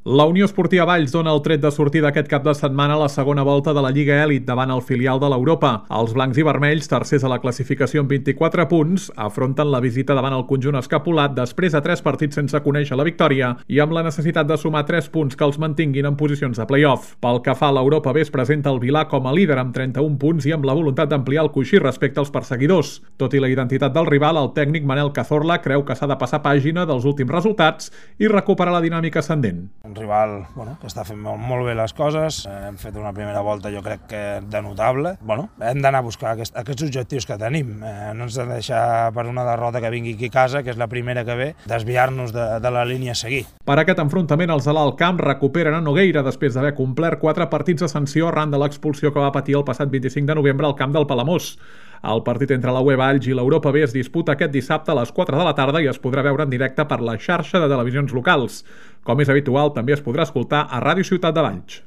La Unió Esportiva Valls dona el tret de sortida aquest cap de setmana a la segona volta de la Lliga Elit davant el filial de l'Europa. Els blancs i vermells, tercers a la classificació amb 24 punts, afronten la visita davant el conjunt escapulat després de 3 partits sense conèixer la victòria i amb la necessitat de sumar 3 punts que els mantinguin en posicions de play-off. Pel que fa a l'Europa B, es presenta el Vilà com a líder amb 31 punts i amb la voluntat d'ampliar el coixí respecte als perseguidors. Tot i la identitat del rival, el tècnic Manel Cazorla creu que s'ha de passar pàgina dels últims resultats i recuperar la dinàmica ascendent. Un rival que està fent molt bé les coses, hem fet una primera volta jo crec que de notable. Hem d'anar a buscar aquests objectius que tenim, no ens hem de deixar per una derrota que vingui aquí a casa, que és la primera que ve, desviar-nos de la línia a seguir. Per aquest enfrontament, els de l'Alt Camp recuperen a Nogueira després d'haver complert 4 partits de sanció arran de l'expulsió que va patir el passat 25 de novembre al camp del Palamós. El partit entre la UE Valls i l'Europa B es disputa aquest dissabte a les 4 de la tarda i es podrà veure en directe per la xarxa de televisions locals. Com és habitual, també es podrà escoltar a Ràdio Ciutat de Valls.